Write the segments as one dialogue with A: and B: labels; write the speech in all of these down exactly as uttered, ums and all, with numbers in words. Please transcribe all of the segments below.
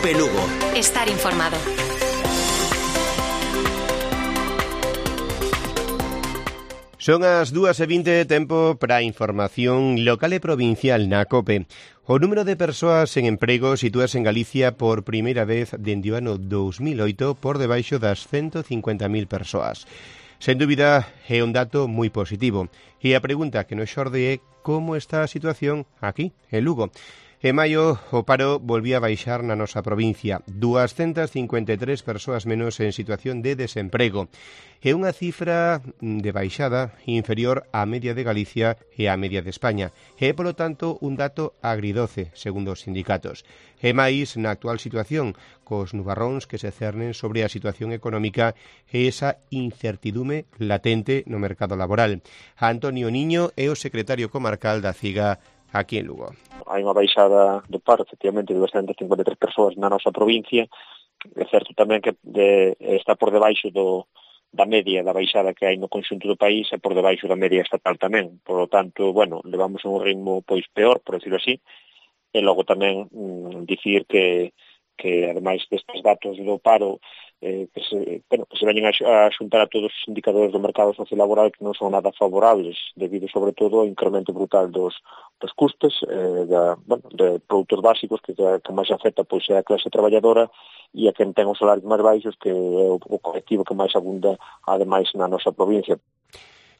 A: Cope Lugo.
B: Estar informado.
C: Son as dúas e vinte, tempo para a información local e provincial na COPE. O número de persoas en emprego sitúase en Galicia por primeira vez dende o ano dous mil oito por debaixo das ciento cincuenta mil persoas. Sen dúbida, é un dato moi positivo. E a pregunta que nos xorde é como está a situación aquí, en Lugo. En maio, o paro volvía a baixar na nosa provincia, doscientas cincuenta e tres persoas menos en situación de desemprego. É unha cifra de baixada inferior á media de Galicia e á media de España. É, polo tanto, un dato agridoce, segundo os sindicatos. E máis na actual situación, cos nubarróns que se cernen sobre a situación económica e esa incertidume latente no mercado laboral. Antonio Niño é o secretario comarcal da CIGA aquí en Lugo.
D: Hai unha baixada do paro, efectivamente, de doscientas cincuenta e tres persoas na nosa provincia. É certo tamén que de, está por debaixo do, da media da baixada que hai no conxunto do país e por debaixo da media estatal tamén. Por lo tanto, bueno, levamos un ritmo pois peor, por decirlo así. E logo tamén mm, dicir que, que ademais destes datos do paro eh, que, se, bueno, que se veñen a, a xuntar a todos os indicadores do mercado sociolaboral que non son nada favorables, debido sobre todo ao incremento brutal dos, dos custes eh, da, bueno, de produtos básicos que, que máis afecta pois, é a clase traballadora e a quen ten os salarios máis baixos, que é o, o colectivo que máis abunda ademais na nosa provincia.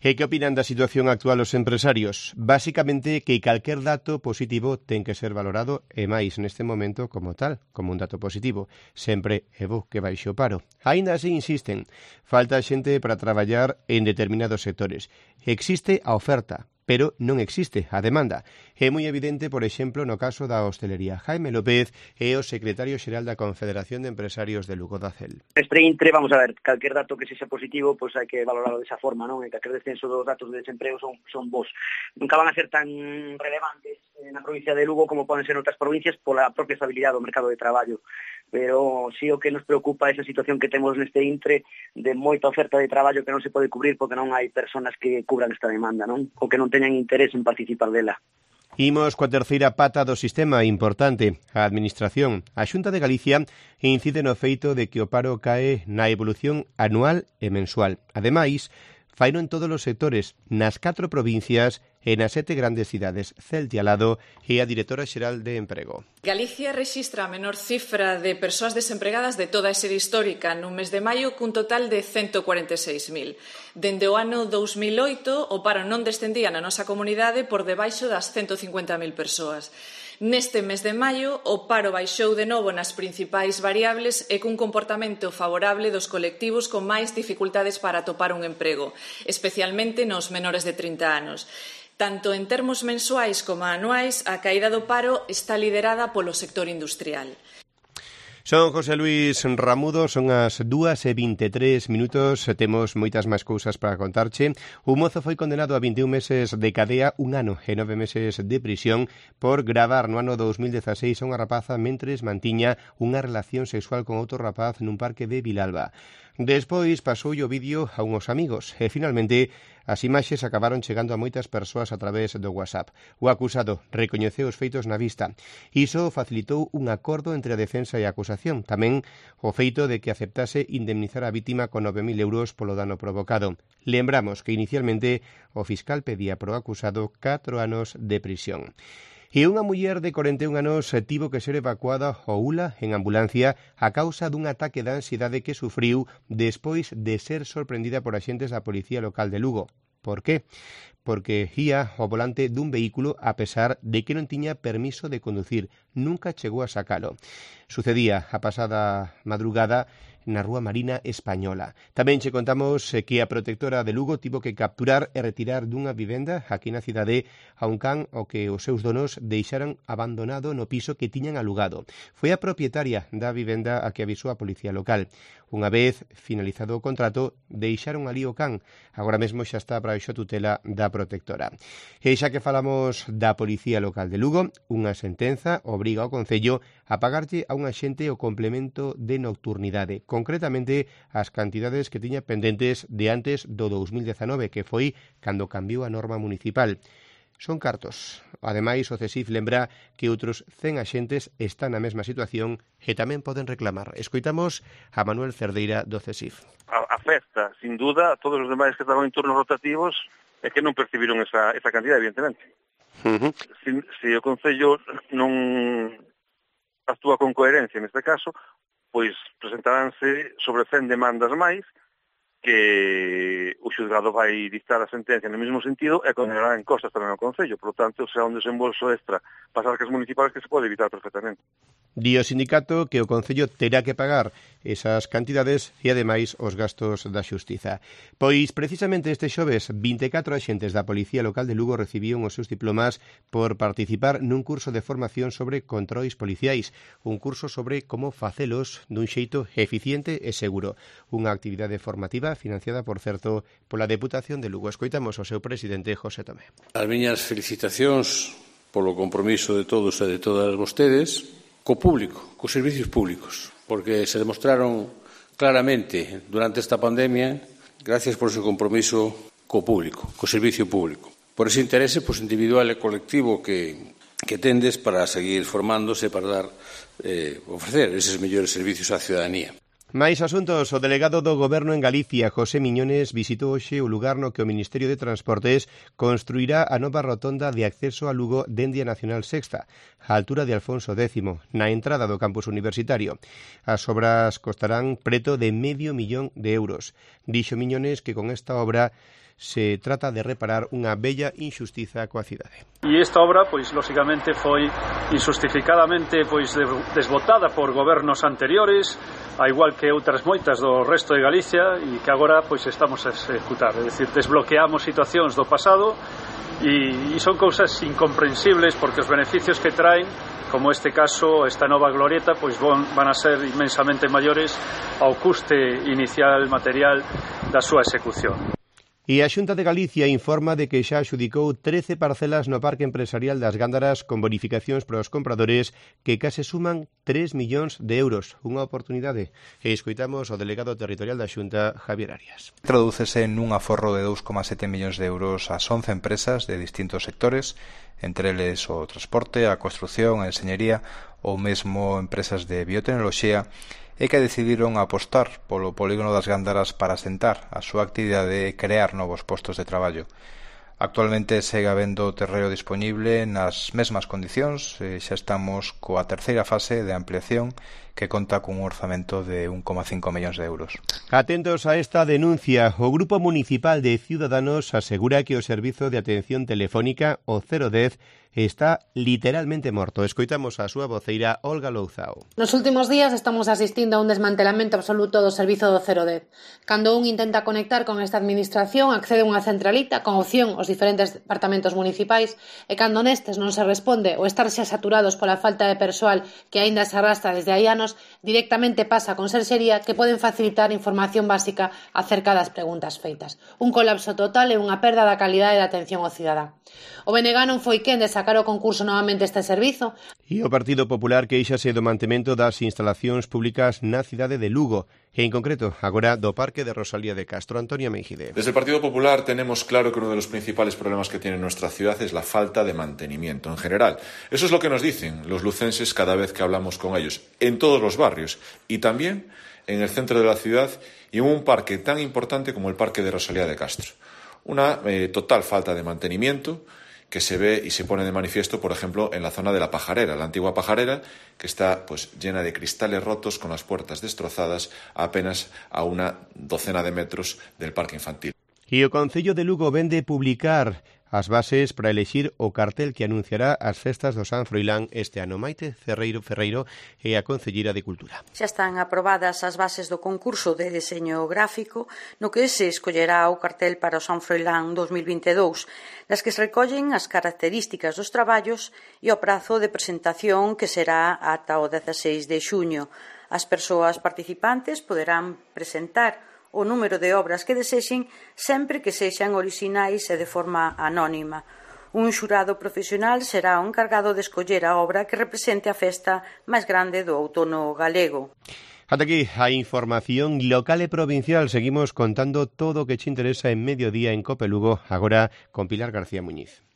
C: E que opinan da situación actual os empresarios? Básicamente que calquer dato positivo ten que ser valorado e máis neste momento como tal, como un dato positivo. Sempre é bo que baixe o paro. Aínda así insisten, falta xente para traballar en determinados sectores. Existe a oferta, pero non existe a demanda. É moi evidente, por exemplo, no caso da hostelería. Jaime López é o secretario xeral da Confederación de Empresarios de Lugo da CEL.
E: Este intre, vamos a ver, calquer dato que sexa positivo, pois hai que valorarlo desa forma, non? E calquer descenso dos datos de desemprego son, son bons. Nunca van a ser tan relevantes na provincia de Lugo como poden ser outras provincias pola propia estabilidade do mercado de traballo. Pero sí o que nos preocupa é esa situación que temos neste intre de moita oferta de traballo que non se pode cubrir porque non hai personas que cubran esta demanda, non? Ou que non teñan interés en participar dela.
C: Imos coa terceira pata do sistema importante, a Administración. A Xunta de Galicia incide no feito de que o paro cae na evolución anual e mensual. Ademais, faino en todos os sectores, nas catro provincias e nas sete grandes cidades. Celti Alado é a directora xeral de Emprego.
F: Galicia rexistra a menor cifra de persoas desempregadas de toda a serie histórica no mes de maio, cun total de ciento cuarenta e seis mil. Dende o ano dous mil oito, o paro non descendía na nosa comunidade por debaixo das ciento cincuenta mil persoas. Neste mes de maio, o paro baixou de novo nas principais variables e cun comportamento favorable dos colectivos con máis dificultades para atopar un emprego, especialmente nos menores de trinta anos. Tanto en termos mensuais como anuais, a caída do paro está liderada polo sector industrial.
C: Son José Luis Ramudo, son as dúas e vinte e tres minutos, temos moitas máis cousas para contarche. Un mozo foi condenado a vinte e un meses de cadea, un ano e nove meses de prisión por gravar no ano dous mil dezaseis a unha rapaza mentres mantiña unha relación sexual con outro rapaz nun parque de Vilalba. Despois pasou o vídeo a unhos amigos e finalmente as imaxes acabaron chegando a moitas persoas a través do WhatsApp. O acusado recoñeceu os feitos na vista. Iso facilitou un acordo entre a defensa e a acusación. Tamén o feito de que aceptase indemnizar a vítima con nove mil euros polo dano provocado. Lembramos que inicialmente o fiscal pedía pro acusado catro anos de prisión. E unha muller de corenta e un anos tivo que ser evacuada ao U L A en ambulancia a causa dun ataque de ansiedade que sufriu despois de ser sorprendida por axentes da Policía Local de Lugo. Por qué? Porque ía ao volante dun vehículo a pesar de que non tiña permiso de conducir. Nunca chegou a sacalo. Sucedía a pasada madrugada na Rúa Marina Española. Tamén che contamos que a protectora de Lugo tivo que capturar e retirar dunha vivenda aquí na cidade a un can ao que os seus donos deixaran abandonado no piso que tiñan alugado. Foi a propietaria da vivenda a que avisou a Policía Local. Unha vez finalizado o contrato, deixaron ali o can. Agora mesmo xa está para a tutela da protectora. E xa que falamos da Policía Local de Lugo, unha sentenza obriga ao Concello a pagarlle a un axente o complemento de nocturnidade, concretamente as cantidades que tiña pendentes de antes do dous mil dezanove, que foi cando cambiou a norma municipal. Son cartos Ademais, o CESIF lembra que outros cen axentes están na mesma situación e tamén poden reclamar. Escoitamos a Manuel Cerdeira do CESIF.
A: Afecta, sin duda, a todos os demais que estaban en turnos rotativos e que non percibiron esa, esa cantidad, evidentemente. Uh-huh. Se si, si o Concello non actúa con coherencia neste caso, pois presentaránse sobre cen demandas máis que o xulgado vai dictar a sentencia no mesmo sentido e condenará en costas tamén ao Concello. Por lo tanto, será un desembolso extra para as arcas municipais que se pode evitar perfectamente.
C: Di o sindicato que o Concello terá que pagar esas cantidades e, ademais, os gastos da xustiza. Pois, precisamente este xoves, vinte e catro axentes da Policía Local de Lugo recibían os seus diplomas por participar nun curso de formación sobre controis policiais, un curso sobre como facelos dun xeito eficiente e seguro. Unha actividade formativa financiada, por certo, pola Deputación de Lugo. Escoitamos o seu presidente, José Tomé.
B: As miñas felicitacións polo compromiso de todos e de todas vostedes co público, cos servicios públicos, porque se demostraron claramente durante esta pandemia gracias por ese compromiso co público, co servicio público, por ese interese pois, individual e colectivo que, que tendes para seguir formándose, para dar, eh, ofrecer eses mellores servicios á ciudadanía.
C: Máis asuntos. O delegado do Goberno en Galicia, José Miñones, visitou hoxe o lugar no que o Ministerio de Transportes construirá a nova rotonda de acceso a Lugo dende a Nacional Sexta, á altura de Alfonso X, na entrada do campus universitario. As obras costarán preto de medio millón de euros. Dixo Miñones que con esta obra se trata de reparar unha bella injustiza coa cidade.
G: E esta obra, pois, lóxicamente, foi injustificadamente pois, desbotada por gobernos anteriores, a igual que outras moitas do resto de Galicia, e que agora pois, estamos a executar. É dicir, desbloqueamos situacións do pasado e, e son cousas incomprensibles porque os beneficios que traen, como este caso, esta nova glorieta, pois van, van a ser inmensamente maiores ao custe inicial material da súa execución.
C: E a Xunta de Galicia informa de que xa adxudicou trece parcelas no Parque Empresarial das Gándaras con bonificacións para os compradores que case suman tres millóns de euros. Unha oportunidade. E escoitamos o delegado territorial da Xunta, Javier Arias.
H: Tradúcese nun aforro de dous coma sete millóns de euros ás once empresas de distintos sectores, entre eles o transporte, a construción, a enxeñería ou mesmo empresas de biotecnoloxía, e que decidiron apostar polo polígono das Gándaras para asentar a súa actividade e crear novos postos de traballo. Actualmente segue habendo terreo disponible nas mesmas condicións e xa estamos coa terceira fase de ampliación que conta cun orzamento de un coma cinco millóns de euros.
C: Atentos a esta denuncia. O Grupo Municipal de Ciudadanos asegura que o servizo de atención telefónica, o cero dez, está literalmente morto. Escoitamos a súa voceira, Olga Louzao.
I: Nos últimos días estamos asistindo a un desmantelamento absoluto do servizo do cero dez. Cando un intenta conectar con esta administración, accede a unha centralita con opción aos diferentes departamentos municipais e cando nestes non se responde ou estar xa saturados pola falta de persoal que aínda se arrastra desde hai anos, directamente pasa a Conserxería que poden facilitar información básica acerca das preguntas feitas. Un colapso total e unha perda da calidade da atención ao cidadán. O B N G non foi quen de sacar o concurso novamente este servizo.
C: E o Partido Popular queixase do mantemento das instalacións públicas na cidade de Lugo, e en concreto agora do Parque de Rosalía de Castro. Antonio Meijide.
J: Desde el Partido Popular tenemos claro que uno de los principales problemas que tiene nuestra ciudad es la falta de mantenimiento en general. Eso es lo que nos dicen los lucenses cada vez que hablamos con ellos, en todos los barrios y también en el centro de la ciudad y en un parque tan importante como el Parque de Rosalía de Castro. Una eh, total falta de mantenimiento que se ve y se pone de manifiesto, por ejemplo, en la zona de la Pajarera, la antigua Pajarera, que está pues llena de cristales rotos con las puertas destrozadas a apenas a una docena de metros del parque infantil.
C: E o Concello de Lugo vende publicar as bases para elexir o cartel que anunciará as festas do San Froilán este ano. Maite Ferreiro Ferreiro é a Concelleira de Cultura.
K: Xa están aprobadas as bases do concurso de deseño gráfico no que se escollerá o cartel para o San Froilán dos mil vinte e dous, nas que se recollen as características dos traballos e o prazo de presentación que será ata o dezaseis de xuño. As persoas participantes poderán presentar o número de obras que desexen sempre que sexan orixinais e de forma anónima. Un xurado profesional será o encargado de escoller a obra que represente a festa máis grande do outono galego.
C: Ata aquí a información local e provincial. Seguimos contando todo o que che interesa en Mediodía en Cope Lugo, agora con Pilar García Muñiz.